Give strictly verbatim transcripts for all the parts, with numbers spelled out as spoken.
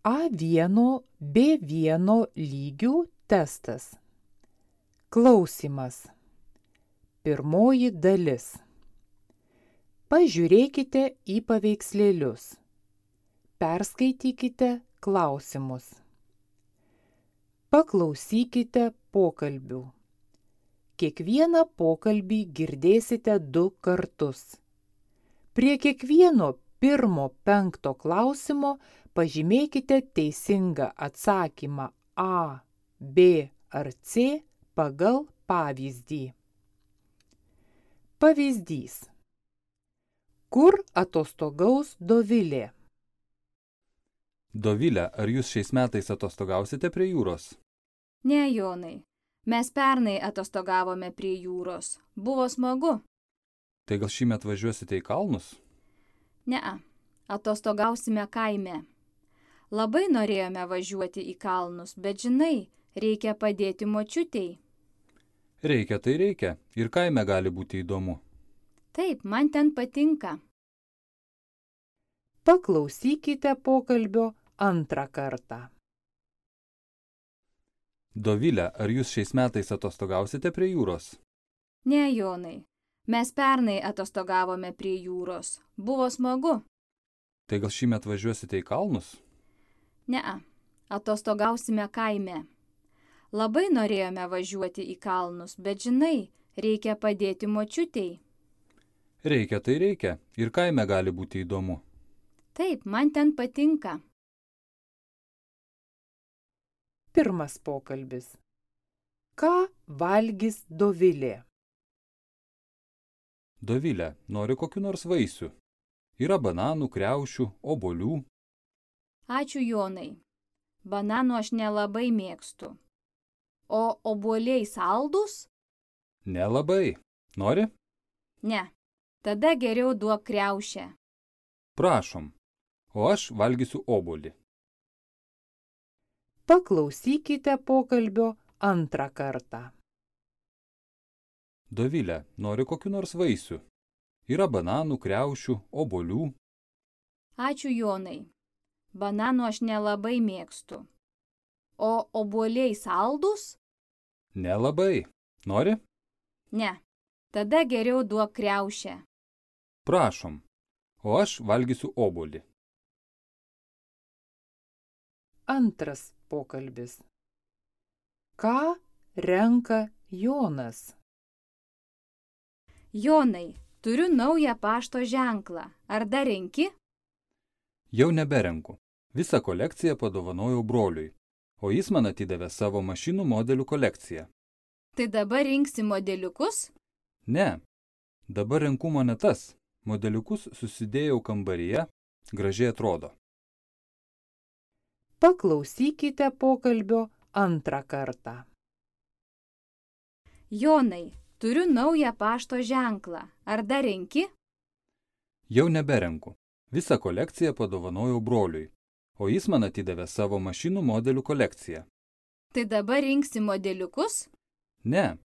A vienas B vienas lygių testas. Klausimas. Pirmoji dalis. Pažiūrėkite į paveikslėlius. Perskaitykite klausimus. Paklausykite pokalbių. Kiekvieną pokalbį girdėsite du kartus. Prie kiekvieno pirmo penkto klausimo pažymėkite teisingą atsakymą A, B ar C pagal pavyzdį. Pavyzdys. Kur atostogaus Dovilė? Dovile, ar jūs šiais metais atostogausite prie jūros? Ne, Jonai. Mes pernai atostogavome prie jūros. Buvo smagu. Tai gal šįmet važiuosite į kalnus? Ne, atostogausime kaime. Labai norėjome važiuoti į kalnus, bet žinai, reikia padėti močiutei. Reikia, tai reikia. Ir kaime gali būti įdomu. Taip, man ten patinka. Paklausykite pokalbio antrą kartą. Dovile, ar jūs šiais metais atostogausite prie jūros? Ne, Jonai. Mes pernai atostogavome prie jūros. Buvo smagu. Tai gal šįmet važiuosite į kalnus? Ne, atostogausime kaime. Labai norėjome važiuoti į kalnus, bet žinai, reikia padėti močiutei. Reikia, tai reikia. Ir kaime gali būti įdomu. Taip, man ten patinka. Pirmas pokalbis. Ką valgys Dovilė? Dovile, nori kokiu nors vaisių? Yra bananų, kriaušių, obuolių. Ačiū, Jonai. Bananų aš nelabai mėgstu. O obuoliai saldus? Nelabai. Nori? Ne. Tada geriau duok kriaušę. Prašom. O aš valgysiu obuolį. Paklausykite pokalbio antrą kartą. Dovile, nori kokiu nors vaisių? Yra bananų, kriaušių, obuolių. Ačiū, Jonai. Bananų aš nelabai mėgstu. O obuoliai saldus? Nelabai. Nori? Ne. Tada geriau duok kriaušę. Prašom. O aš valgysiu obuolį. Antras pokalbis. Ką renka Jonas? Jonai, turiu naują pašto ženklą. Ar dar renki? Jau neberenku. Visą kolekciją padovanojau broliui, o jis man atidavė savo mašinų modelių kolekciją. Tai dabar rinksi modeliukus? Ne. Dabar renku monetas. Modeliukus susidėjau kambaryje. Gražiai atrodo. Paklausykite pokalbio antrą kartą. Jonai, turiu naują pašto ženklą. Ar dar renki? Jau neberenku. Visą kolekciją padovanojau broliui, o jis man atidavė savo mašinų modelių kolekciją. Tai dabar rinksi modeliukus? Ne.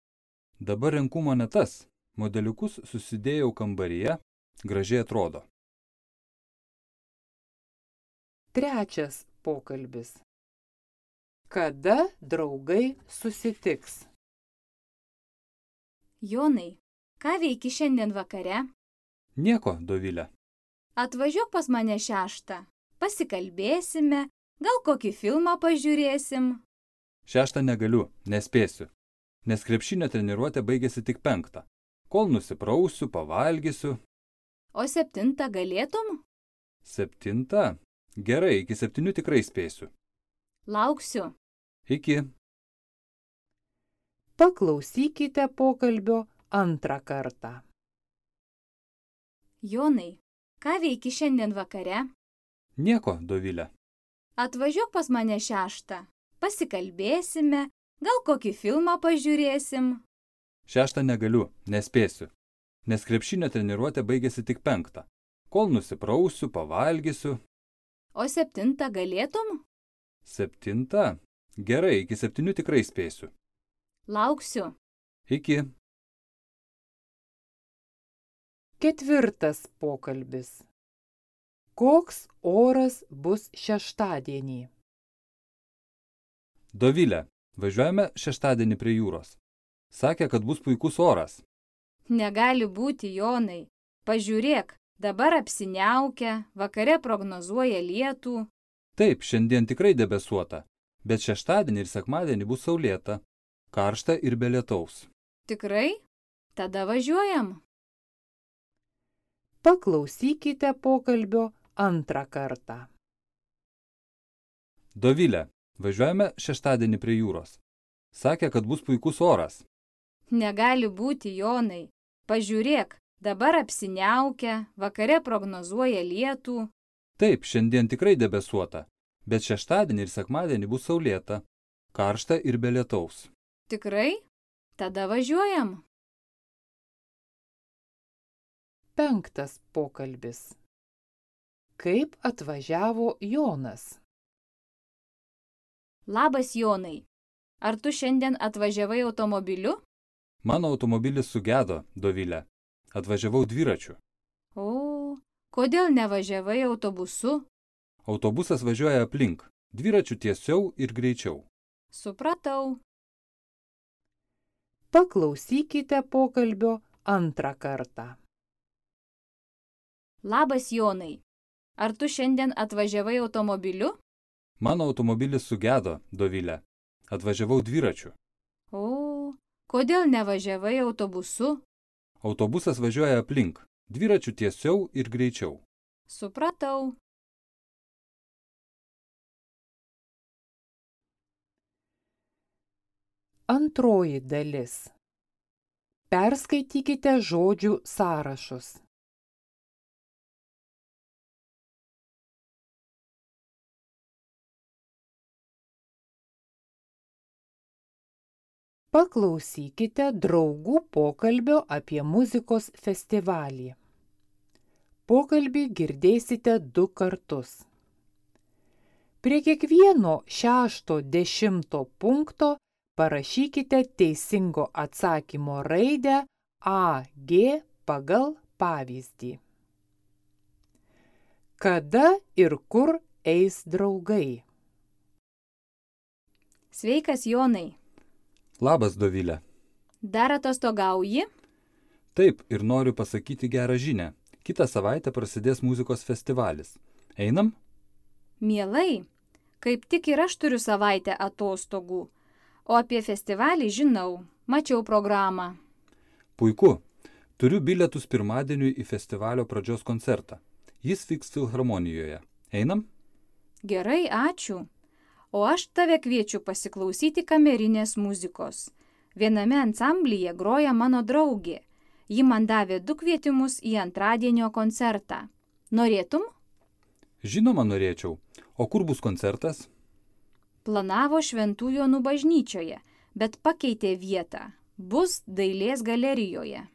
Dabar renku monetas. Modeliukus susidėjau kambaryje. Gražiai atrodo. Trečias pokalbis. Kada draugai susitiks? Jonai, ką veiki šiandien vakare? Nieko, Dovile. Atvažiuok pas mane šeštą. Pasikalbėsime, gal kokį filmą pažiūrėsim. Šeštą negaliu, nespėsiu, nes krepšinio treniruotė baigėsi tik penktą. Kol nusiprausiu, pavalgysiu. O septintą galėtum? Septintą? Gerai, iki septynių tikrai spėsiu. Lauksiu. Iki. Paklausykite pokalbio antrą kartą. Jonai, ką veiki šiandien vakare? Nieko, Dovile. Atvažiuok pas mane šeštą. Pasikalbėsime, gal kokį filmą pažiūrėsim. Šeštą negaliu, nespėsiu, nes krepšinio treniruotė baigėsi tik penktą. Kol nusiprausiu, pavalgysiu. O septintą galėtum? Septintą? Gerai, iki septynių tikrai spėsiu. Lauksiu. Iki. Ketvirtas pokalbis. Koks oras bus šeštadienį? Dovilė, važiuojame šeštadienį prie jūros. Sakė, kad bus puikus oras. Negali būti, Jonai. Pažiūrėk, dabar apsiniaukia, vakare prognozuoja lietų. Taip, šiandien tikrai debesuota, bet šeštadienį ir sekmadienį bus saulėta, karšta ir be lietaus. Tikrai? Tada važiuojam. Paklausykite pokalbio antrą kartą. Dovilė, važiuojame šeštadienį prie jūros. Sakė, kad bus puikus oras. Negali būti, Jonai. Pažiūrėk, dabar apsiniaukia, vakare prognozuoja lietų. Taip, šiandien tikrai debesuota, bet šeštadienį ir sekmadienį bus saulėta, karšta ir be lietaus. Tikrai? Tada važiuojam. Penktas pokalbis. Kaip atvažiavo Jonas? Labas, Jonai. Ar tu šiandien atvažiavai automobiliu? Mano automobilis sugedo, Dovilė. Atvažiavau dviračiu. O, kodėl nevažiavai autobusu? Autobusas važiuoja aplink, dviračiu tiesiau ir greičiau. Supratau. Paklausykite pokalbio antrą kartą. Labas, Jonai. Ar tu šiandien atvažiavai automobiliu? Mano automobilis sugedo, Dovilė. Atvažiavau dviračiu. O, kodėl nevažiavai autobusu? Autobusas važiuoja aplink, dviračiu tiesiau ir greičiau. Supratau. Antroji dalis. Perskaitykite žodžių sąrašus. Paklausykite draugų pokalbio apie muzikos festivalį. Pokalbį girdėsite du kartus. Prie kiekvieno šešto dešimto punkto parašykite teisingo atsakymo raidę A G pagal pavyzdį. Kada ir kur eis draugai? Sveikas, Jonai. Labas, Dovilė. Dar atostogauji? Taip, ir noriu pasakyti gerą žinią. Kitą savaitę prasidės muzikos festivalis. Einam? Mielai. Kaip tik ir aš turiu savaitę atostogų. O apie festivalį žinau. Mačiau programą. Puiku. Turiu bilietus pirmadieniui į festivalio pradžios koncertą. Jis vyks Filharmonijoje. Einam? Gerai, ačiū. O aš tave kviečiu pasiklausyti kamerinės muzikos. Viename ansamblyje groja mano draugė. Ji man davė du kvietimus į antradienio koncertą. Norėtum? Žinoma, norėčiau. O kur bus koncertas? Planavo Šventų Jonų bažnyčioje, bet pakeitė vietą. Bus Dailės galerijoje.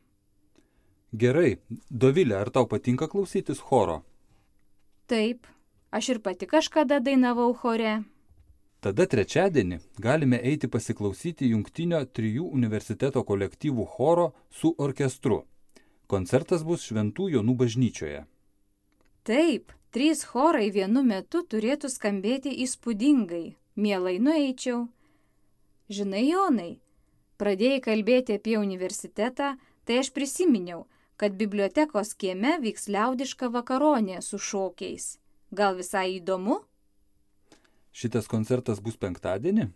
Gerai. Dovilė, ar tau patinka klausytis choro? Taip, aš ir pati kažkada dainavau chore. Tada trečiadienį galime eiti pasiklausyti jungtinio trijų universiteto kolektyvų choro su orkestru. Koncertas bus Šventų Jonų bažnyčioje. Taip, trys chorai vienu metu turėtų skambėti įspūdingai. Mielai nueičiau. Žinai, Jonai, pradėjai kalbėti apie universitetą, tai aš prisiminiau, kad bibliotekos kieme vyks liaudiška vakaronė su šokiais. Gal visai įdomu? Šitas koncertas bus penktadienį?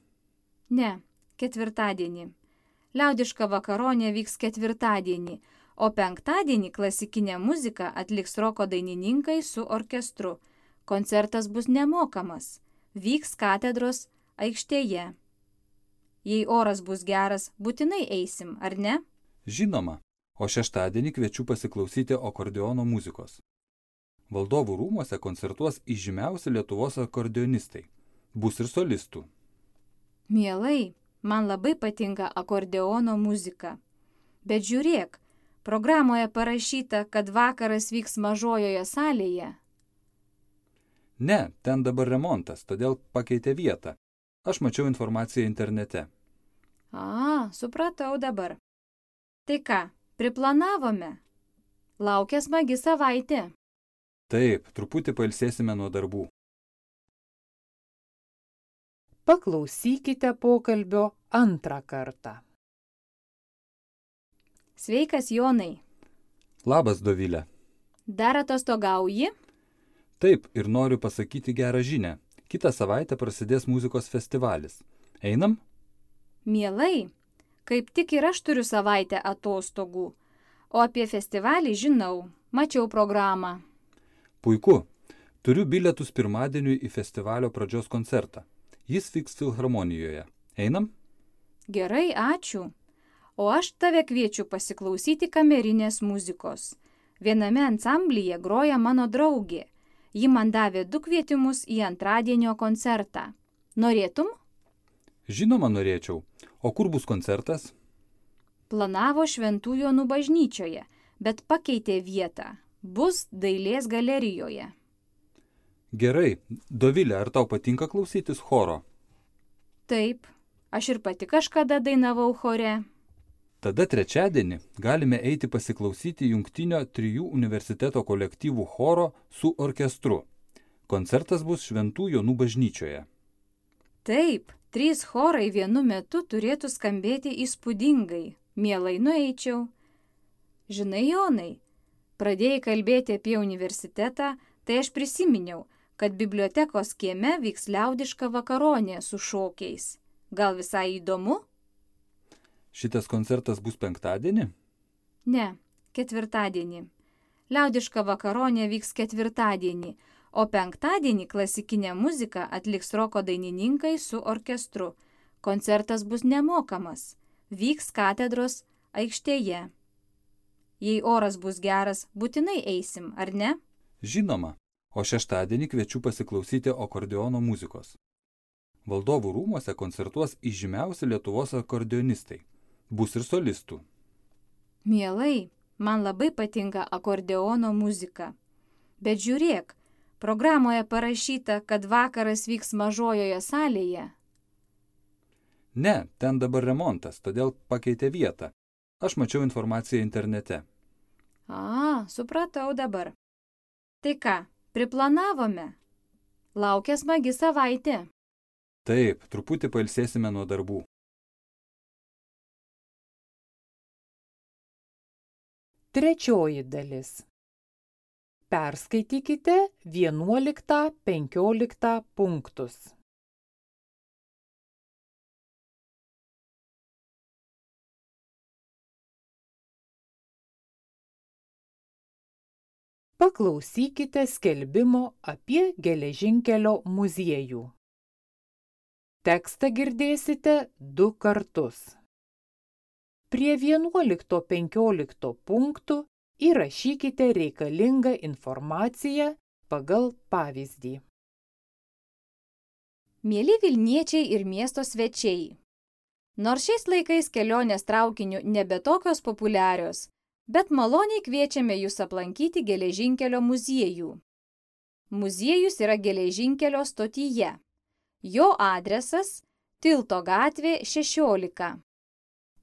Ne, ketvirtadienį. Liaudiška vakaronė vyks ketvirtadienį, o penktadienį klasikinę muziką atliks roko dainininkai su orkestru. Koncertas bus nemokamas. Vyks katedros aikštėje. Jei oras bus geras, būtinai eisim, ar ne? Žinoma, o šeštadienį kviečiu pasiklausyti akordeono muzikos. Valdovų rūmuose koncertuos įžymiausi Lietuvos akordeonistai. Bus ir solistų. Mielai, man labai patinka akordeono muzika. Bet žiūrėk, programoje parašyta, kad vakaras vyks mažojoje salėje. Ne, ten dabar remontas, todėl pakeitė vietą. Aš mačiau informaciją internete. A, supratau dabar. Tai ką, priplanavome? Laukia smagi savaitė. Taip, truputį pailsėsime nuo darbų. Paklausykite pokalbio antrą kartą. Sveikas, Jonai. Labas, Dovilė. Dar atostogauji? Taip, ir noriu pasakyti gerą žinią. Kitą savaitę prasidės muzikos festivalis. Einam? Mielai. Kaip tik ir aš turiu savaitę atostogų. O apie festivalį žinau. Mačiau programą. Puiku. Turiu bilietus pirmadieniui į festivalio pradžios koncertą. Jis vyks Filharmonijoje. Einam? Gerai, ačiū. O aš tave kviečiu pasiklausyti kamerinės muzikos. Viename ansamblyje groja mano draugė. Ji man davė du kvietimus į antradienio koncertą. Norėtum? Žinoma, norėčiau. O kur bus koncertas? Planavo Šventų Jonų bažnyčioje, bet pakeitė vietą. Bus Dailės galerijoje. Gerai. Dovilė, ar tau patinka klausytis choro? Taip, aš ir pati kažkada dainavau chore. Tada trečiadienį galime eiti pasiklausyti jungtinio trijų universiteto kolektyvų choro su orkestru. Koncertas bus Šventų Jonų bažnyčioje. Taip, trys chorai vienu metu turėtų skambėti įspūdingai. Mielai nueičiau. Žinai, Jonai, pradėjai kalbėti apie universitetą, tai aš prisiminiau, kad bibliotekos kieme vyks liaudiška vakaronė su šokiais. Gal visai įdomu? Šitas koncertas bus penktadienį? Ne, ketvirtadienį. Liaudiška vakaronė vyks ketvirtadienį, o penktadienį klasikinę muziką atliks roko dainininkai su orkestru. Koncertas bus nemokamas. Vyks katedros aikštėje. Jei oras bus geras, būtinai eisim, ar ne? Žinoma, o šeštadienį kviečiu pasiklausyti akordeono muzikos. Valdovų rūmuose koncertuos įžymiausi Lietuvos akordeonistai. Bus ir solistų. Mielai, man labai patinka akordeono muzika. Bet žiūrėk, programoje parašyta, kad vakaras vyks mažojoje salėje. Ne, ten dabar remontas, todėl pakeitė vietą. Aš mačiau informaciją internete. A, supratau dabar. Tai ką, priplanavome? Laukia smagi savaitė. Taip, truputį pailsėsime nuo darbų. Trečioji dalis. Perskaitykite vienuoliktą penkioliktą punktus. Paklausykite skelbimo apie geležinkelio muziejų. Tekstą girdėsite du kartus. Prie vienuolikto penkiolikto punktų įrašykite reikalingą informaciją pagal pavyzdį. Mieli Vilniečiai ir miesto svečiai. Nors šiais laikais kelionės traukiniu nebe tokios populiarios, bet maloniai kviečiame jūs aplankyti geležinkelio muziejų. Muziejus yra geležinkelio stotyje. Jo adresas – Tilto gatvė šešiolika.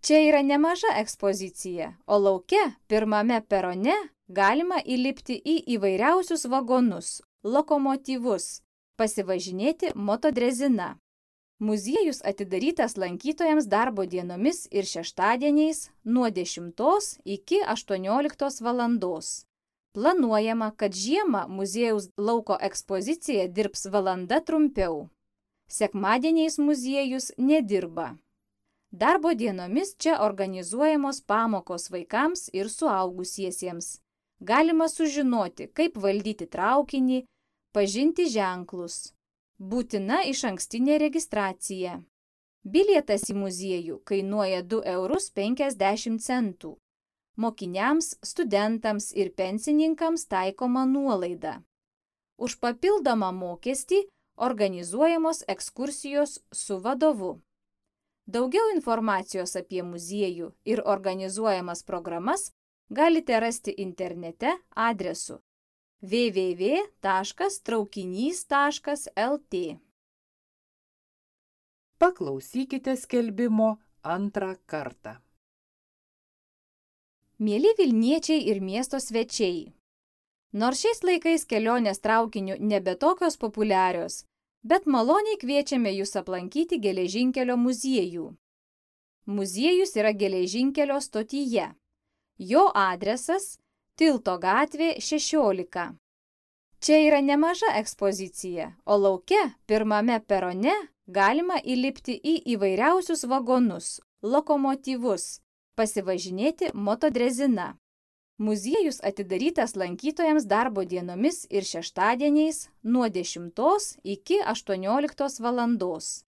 Čia yra nemaža ekspozicija, o lauke, pirmame perone, galima įlipti į įvairiausius vagonus, lokomotyvus, pasivažinėti motodrezina. Muziejus atidarytas lankytojams darbo dienomis ir šeštadieniais nuo dešimtos iki aštuonioliktos valandos. Planuojama, kad žiemą muziejaus lauko ekspozicija dirbs valanda trumpiau. Sekmadieniais muziejus nedirba. Darbo dienomis čia organizuojamos pamokos vaikams ir suaugusiesiems. Galima sužinoti, kaip valdyti traukinį, pažinti ženklus. Būtina išankstinė registracija. Bilietas į muziejų kainuoja du eurus penkiasdešimt centų. Mokiniams, studentams ir pensininkams taikoma nuolaida. Už papildomą mokestį organizuojamos ekskursijos su vadovu. Daugiau informacijos apie muziejų ir organizuojamas programas galite rasti internete adresu w w w taškas traukinys taškas l t. Paklausykite skelbimo antrą kartą. Mieli Vilniečiai ir miesto svečiai. Nors šiais laikais kelionės traukiniu nebe tokios populiarios, bet maloniai kviečiame jūs aplankyti geležinkelio muziejų. Muziejus yra geležinkelio stotyje. Jo adresas – Tilto gatvė šešiolika. Čia yra nemaža ekspozicija, o lauke pirmame perone galima įlipti į įvairiausius vagonus, lokomotyvus, pasivažinėti motodrezina. Muziejus atidarytas lankytojams darbo dienomis ir šeštadieniais nuo dešimtos iki aštuonioliktos valandos.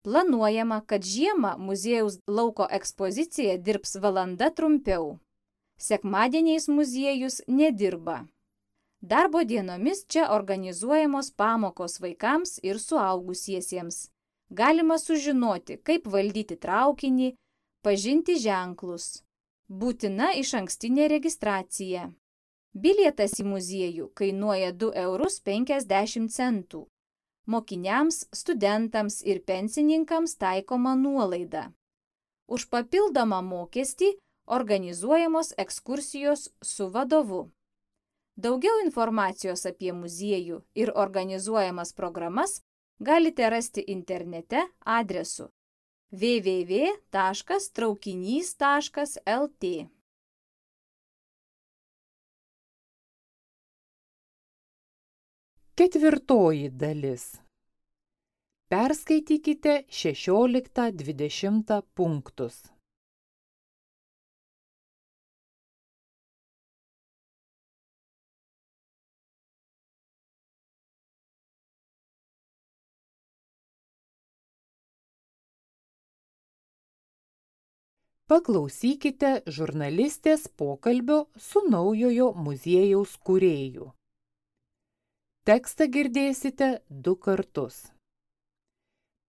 Planuojama, kad žiemą muziejaus lauko ekspozicija dirbs valanda trumpiau. Sekmadieniais muziejus nedirba. Darbo dienomis čia organizuojamos pamokos vaikams ir suaugusiesiems. Galima sužinoti, kaip valdyti traukinį, pažinti ženklus. Būtina išankstinė registracija. Bilietas į muziejų kainuoja du eurus penkiasdešimt centų. Mokiniams, studentams ir pensininkams taikoma nuolaida. Už papildomą mokestį organizuojamos ekskursijos su vadovu. Daugiau informacijos apie muziejų ir organizuojamas programas galite rasti internete adresu w w w taškas traukinys taškas l t. Ketvirtoji dalis. Perskaitykite šešioliktą dvidešimtą punktus. Paklausykite žurnalistės pokalbio su naujojo muziejaus kūrėju. Tekstą girdėsite du kartus.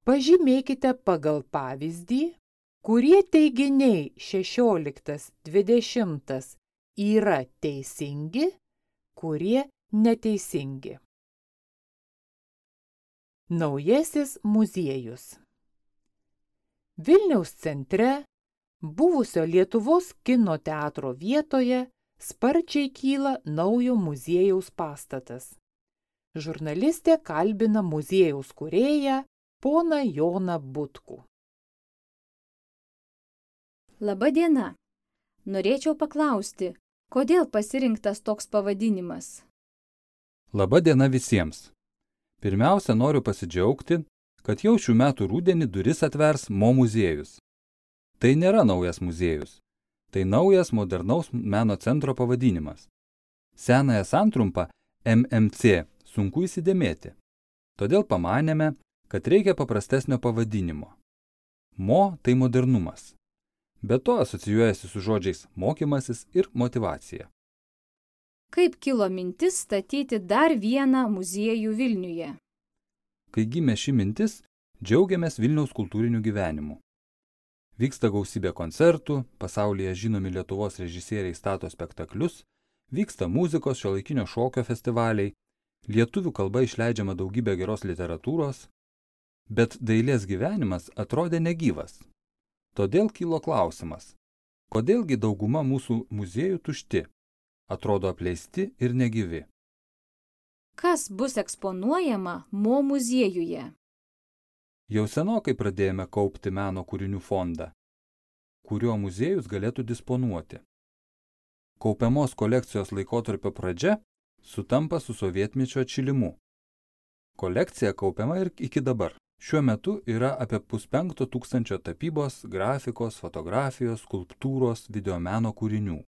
Pažymėkite pagal pavyzdį, kurie teiginiai šešioliktas dvidešimtas yra teisingi, kurie neteisingi. Naujasis muziejus. Vilniaus centre, buvusio Lietuvos kino teatro vietoje, sparčiai kyla naujo muziejaus pastatas. Žurnalistė kalbina muziejaus kūrėją, poną Joną Butkų. Labą dieną. Norėčiau paklausti, kodėl pasirinktas toks pavadinimas? Labą dieną visiems. Pirmiausia, noriu pasidžiaugti, kad jau šių metų rudenį duris atvers Mo muziejus. Tai nėra naujas muziejus. Tai naujas modernaus meno centro pavadinimas. Senąją santrumpą M M C sunku įsidėmėti. Todėl pamanėme, kad reikia paprastesnio pavadinimo. Mo tai modernumas. Be to asocijuojasi su žodžiais mokymasis ir motyvacija. Kaip kilo mintis statyti dar vieną muziejų Vilniuje? Kai gimė ši mintis, džiaugiamės Vilniaus kultūriniu gyvenimu. Vyksta gausybė koncertų, pasaulyje žinomi Lietuvos režisieriai stato spektaklius, vyksta muzikos šiuolaikinio šokio festivaliai, lietuvių kalba išleidžiama daugybė geros literatūros, bet dailės gyvenimas atrodė negyvas. Todėl kilo klausimas, kodėlgi dauguma mūsų muziejų tušti, atrodo apleisti ir negyvi. Kas bus eksponuojama Mo muziejuje? Jau senokai pradėjome kaupti meno kūrinių fondą, kuriuo muziejus galėtų disponuoti. Kaupiamos kolekcijos laikotarpio pradžia sutampa su sovietmečio atšilimu. Kolekcija kaupiama ir iki dabar. Šiuo metu yra apie puspenkto tūkstančio tapybos, grafikos, fotografijos, skulptūros, videomeno kūrinių.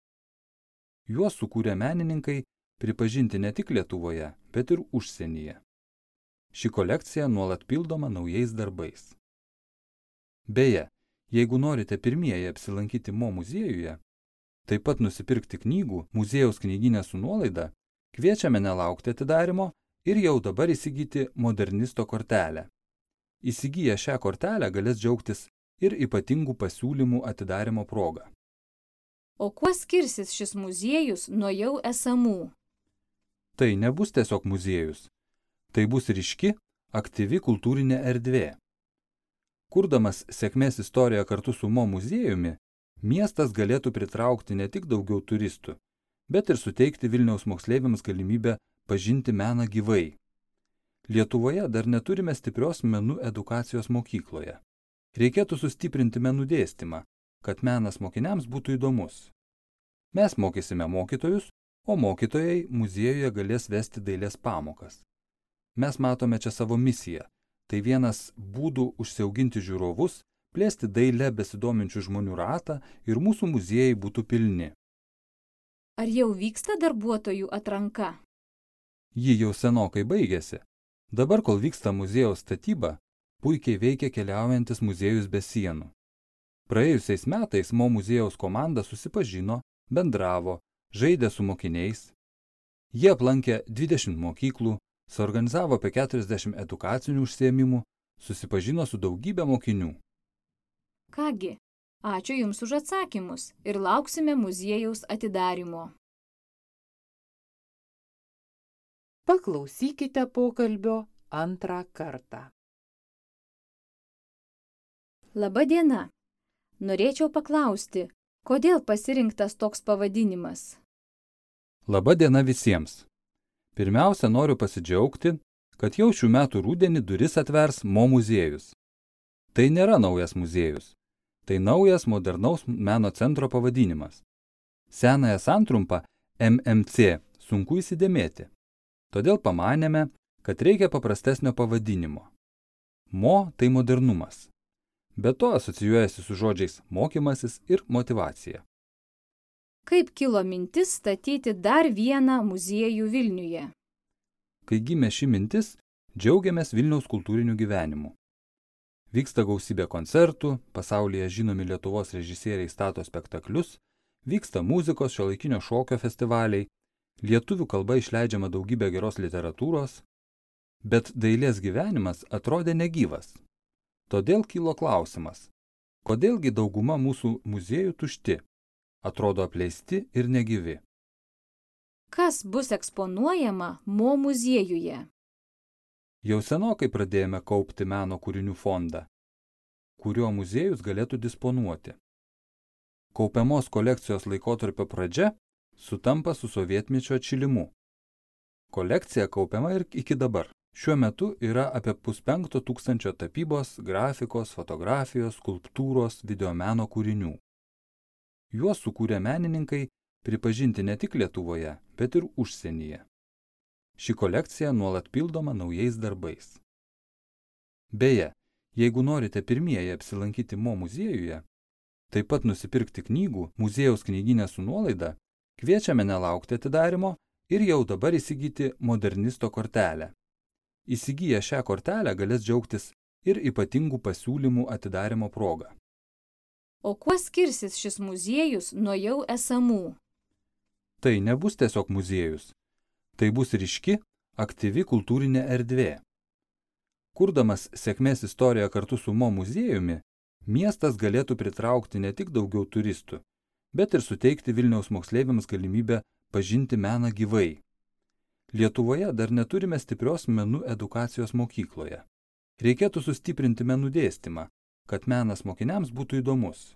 Juos sukūrė menininkai pripažinti ne tik Lietuvoje, bet ir užsienyje. Ši kolekcija nuolat pildoma naujais darbais. Beje, jeigu norite pirmieji apsilankyti Mo muziejuje, taip pat nusipirkti knygų muziejaus knygyne su nuolaida, kviečiame nelaukti atidarymo ir jau dabar įsigyti modernisto kortelę. Įsigiję šią kortelę galės džiaugtis ir ypatingų pasiūlymų atidarymo proga. O kuo skirsis šis muziejus nuo jau esamų? Tai nebus tiesiog muziejus. Tai bus ryški, aktyvi kultūrinė erdvė. Kurdamas sėkmės istoriją kartu su Mo muziejumi, miestas galėtų pritraukti ne tik daugiau turistų, bet ir suteikti Vilniaus moksleiviams galimybę pažinti meną gyvai. Lietuvoje dar neturime stiprios menų edukacijos mokykloje. Reikėtų sustiprinti menų dėstymą, kad menas mokiniams būtų įdomus. Mes mokysime mokytojus, o mokytojai muziejuje galės vesti dailės pamokas. Mes matome čia savo misiją. Tai vienas būdų užsiauginti žiūrovus, plėsti dailę besidominčių žmonių ratą ir mūsų muziejai būtų pilni. Ar jau vyksta darbuotojų atranka? Ji jau senokai baigėsi. Dabar, kol vyksta muziejaus statyba, puikiai veikia keliaujantis muziejus be sienų. Praėjusiais metais Mo muziejaus komanda susipažino, bendravo, žaidė su mokiniais. Jie aplankė dvidešimt mokyklų, suorganizavo apie keturiasdešimt edukacinių užsiėmimų, susipažino su daugybė mokinių. Kągi, ačiū Jums už atsakymus ir lauksime muziejaus atidarymo. Paklausykite pokalbio antrą kartą. Labą dieną. Norėčiau paklausti, kodėl pasirinktas toks pavadinimas? Labą dieną visiems. Pirmiausia, noriu pasidžiaugti, kad jau šių metų rudenį duris atvers Mo muziejus. Tai nėra naujas muziejus. Tai naujas modernaus meno centro pavadinimas. Senąją santrumpą M M C sunku įsidėmėti. Todėl pamanėme, kad reikia paprastesnio pavadinimo. Mo tai modernumas. Be to asocijuojasi su žodžiais mokymasis ir motyvacija. Kaip kilo mintis statyti dar vieną muziejų Vilniuje? Kai gimė ši mintis, džiaugiamės Vilniaus kultūriniu gyvenimu. Vyksta gausybė koncertų, pasaulyje žinomi Lietuvos režisieriai stato spektaklius, vyksta muzikos šiuolaikinio šokio festivaliai, lietuvių kalba išleidžiama daugybė geros literatūros, bet dailės gyvenimas atrodė negyvas. Todėl kilo klausimas, kodėlgi dauguma mūsų muziejų tušti, atrodo apleisti ir negyvi. Kas bus eksponuojama Mo muziejuje? Jau senokai pradėjome kaupti meno kūrinių fondą, kuriuo muziejus galėtų disponuoti. Kaupiamos kolekcijos laikotarpio pradžia sutampa su sovietmečio atšilimu. Kolekcija kaupiama ir iki dabar. Šiuo metu yra apie puspenkto tūkstančio tapybos, grafikos, fotografijos, skulptūros, videomeno kūrinių. Juos sukūrė menininkai pripažinti ne tik Lietuvoje, bet ir užsienyje. Ši kolekcija nuolat pildoma naujais darbais. Beje, jeigu norite pirmieji apsilankyti Mo muziejuje, taip pat nusipirkti knygų muziejaus knygyne su nuolaida, kviečiame nelaukti atidarymo ir jau dabar įsigyti modernisto kortelę. Įsigiję šią kortelę galės džiaugtis ir ypatingų pasiūlymų atidarymo proga. O kuo skirsis šis muziejus nuo jau esamų? Tai nebus tiesiog muziejus. Tai bus ryški, aktyvi kultūrinė erdvė. Kurdamas sėkmės istoriją kartu su Mo muziejumi, miestas galėtų pritraukti ne tik daugiau turistų, bet ir suteikti Vilniaus moksleiviams galimybę pažinti meną gyvai. Lietuvoje dar neturime stiprios menų edukacijos mokykloje. Reikėtų sustiprinti menų dėstymą, kad menas mokiniams būtų įdomus.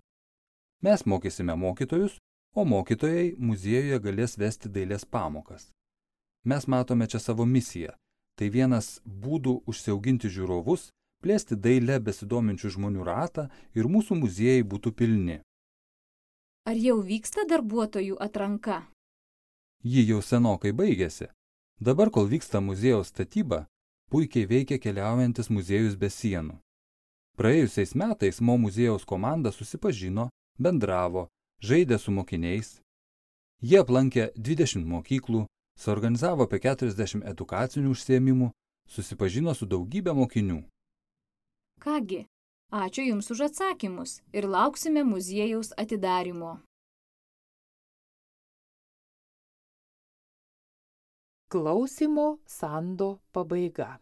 Mes mokysime mokytojus, o mokytojai muziejuje galės vesti dailės pamokas. Mes matome čia savo misiją. Tai vienas būdų užsiauginti žiūrovus, plėsti dailę besidominčių žmonių ratą ir mūsų muziejai būtų pilni. Ar jau vyksta darbuotojų atranka? Ji jau senokai baigėsi. Dabar, kol vyksta muziejaus statyba, puikiai veikia keliaujantis muziejus be sienų. Praėjusiais metais Mo muziejaus komanda susipažino, bendravo, žaidė su mokiniais. Jie aplankė dvidešimt mokyklų, suorganizavo apie keturiasdešimt edukacinių užsiėmimų, susipažino su daugybė mokinių. Kągi, ačiū Jums už atsakymus ir lauksime muziejaus atidarymo. Klausymo sando pabaiga.